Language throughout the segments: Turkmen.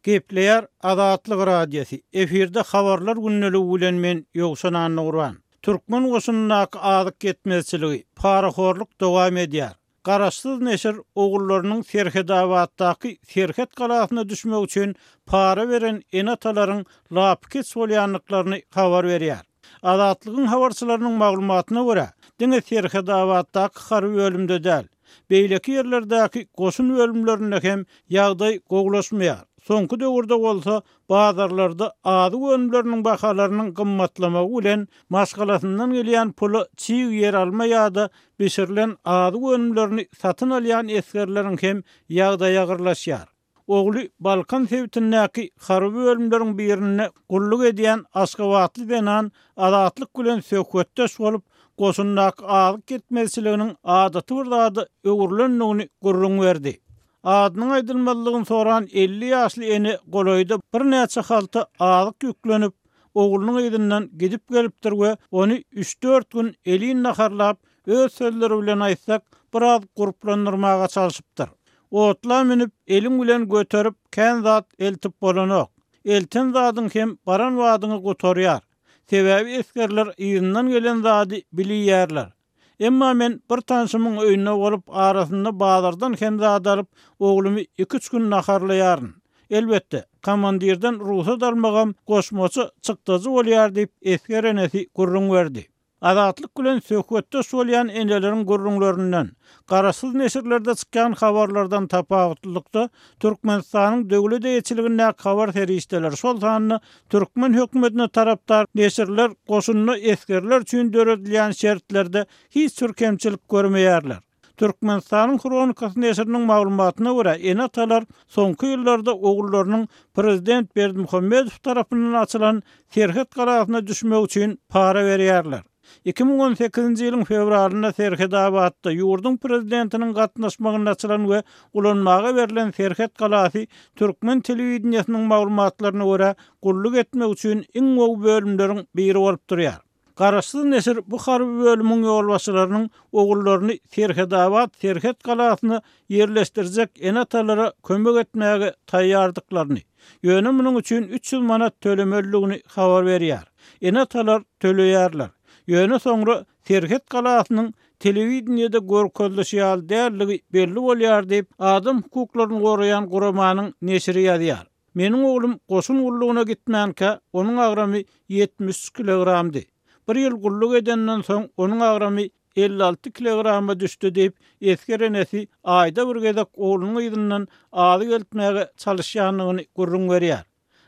Gepleýär Azatlyk Radiosy, efirde Habarlar gündeligi bilen men Ýowşan Annagurban. Türkmen goşunyndaky azyk ýetmezçiligi, parahorluk dowam edýär. Garaşsyz neşir ogullarynyň Serhedabatdaky serhet galasyna düşmek üçin para beren ene-atalaryň lapykeç bolýandyklaryny habar berýär. Azatlygyň habarçylarynyň maglumatyna görä, diňe Serhedabatdaky harby bölümde däl, beýleki ýerlerdäki goşun bölümlerinde hem ýagdaý gowulaşmaýar. Soňky döwürde bolsa bazarlarda azyk önümleriniň bahalarynyň gymmatlamagy bilen maşgalasyndan gelýän pula çig ýeralma ýa-da bişirilen azyk önümlerini satyn alýan esgerleriň hem ýagdaýy agyrlaşýar. Ogly Balkan sebitindäki harby bölümleriň birinde gulluk edýän aşgabatly zenan Azatlyk bilen söhbetdeş bolup, goşundaky azyk ýetmezçiliginiň adaty bir zada öwrülendigini gürrüň berdi. Adynyň aýdylmazlygyny soran 50 ýaşly ene golaýda birnäçe halta azyk ýüklenip, oglunyň yzyndan gidip gelipdir we ony üç-dört gün elin naharlap, öz sözleri bilen aýtsak, biraz gurplandyrmaga çalşypdyr. Otla münüp, eliň bilen göterip, kän zat eltip bolanok. Elten zadyň hem baran badyňa gutarýar. Sebäbi esgerler yzyndan gelen zady bilýärler. Emma men bir tanşymyň öýünde bolup, arasynda bazardan hem zat alyp, oglumy iki-üç gün naharlaýaryn. Elbetde, komandirden rugsat almagam goşmaça çykdajy bolýar diýip, esger enesi gürrüň berdi. Azatlyk bilen söhbetdeş bolýan eneleriň gürrüňlerinden, garaşsyz neşirlerde çykýan habarlardan tapawutlylykda, Türkmenistanyň döwlet eýeçiligindäki habar serişdeleri, şol sanda türkmen hökümetine tarapdar neşirler goşunda esgerler üçin döredilýän şertlerde hiç bir kemçilik görmeýärler. Türkmenistanyň Hronikasy neşiriniň maglumatyna görä, ene-atalar soňky ýyllarda ogullarynyň prezident Berdimuhamedow tarapyndan açylan serhet galasyna düşmegi üçin para berýärler. 2018-nji ýylyň fewralynda Serhetabatda ýurduň prezidentiniň gatnaşmagynda açylan we ulanmaga berlen serhet galasy türkmen telewideniýesiniň maglumatlaryna görä, gulluk etmek üçin iň gowy bölümleriň biri bolup durýar. Garaşsyz neşir bu harby bölümiň ýolbaşçylarynyň ogullaryny Serhedabat serhet galasyna ýerleşdirjek ene-atalara kömek etmäge taýýardyklaryny, ýöne munuň üçin 300 manat tölemelidigini habar berýär. Ene-atalar töleýärler. Ýöne soňra serhet galasynyň telewideniýede görkezilişi ýaly däldigi belli bolýar diýip, adam hukuklaryny goraýan guramanyň neşiri ýazýar. Meniň oglum goşun gullugyna gitmänkä, onuň agramy 73 kilogramdy. Bir ýyl gulluk edenden soň, onuň agramy 56 kilograma düşdi diýip, esger enesi aýda bir gezek oglunyň yzyndan azyk eltmäge çalyşýandygyny gürrüň berýär.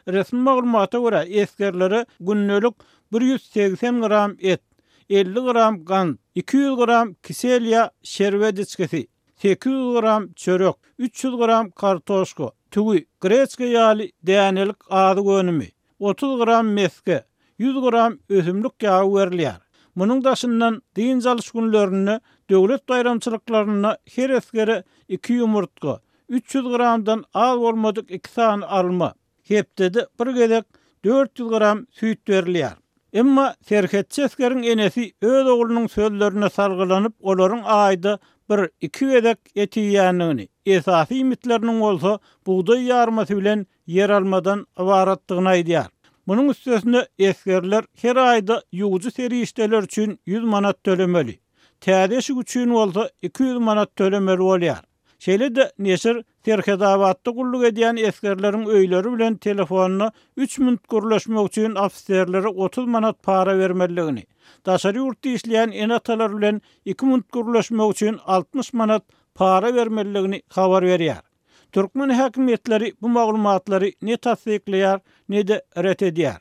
Resmi maglumata görä, esgerlere gündelik 180 gram et, 50 gram gant, 200 gram kisel ýa şerbet içgisi, 800 gram çörek, 300 gram kartoşka, tüwi, greçka ýaly dänelik azyk önümi, 30 gram mesge, 100 gram ösümlik ýagy berilýär. Munuň daşyndan dynç alyş günlerinde, döwlet baýramçylyklarynda her esgere iki ýumurtga, 300 gramdan az bolmadyk iki sany alma, hepdede bir gezek 400 gram süýt berilýär. Emma serhetçi esgeriň enesi öz oglunyň sözlerine salgylanyp, olaryň aýda bir, iki gezek et iýýändigini, esasy iýmitleriniň bolsa bugdaý ýarmasy bilen ýeralmadan ybaratdygyny aýdýar. Munuň üstesine, esgerler her aýda ýuwujy serişdeler üçin 100 manat tölemeli. Täze eşik üçin bolsa 200 manat tölemeli bolýar. Şeýle-de, neşir Serhetabatda gulluk edýän esgerleriň öýleri bilen telefonda üç minut gürleşmek üçin ofiserlere 30 manat para bermelidigini, daşary ýurtda işleýän ene-atalar bilen iki minut gürleşmek üçin 60 manat para bermelidigini habar berýär. Türkmen häkimiýetleri bu maglumatlary ne tassyklaýar, ne-de ret edýär.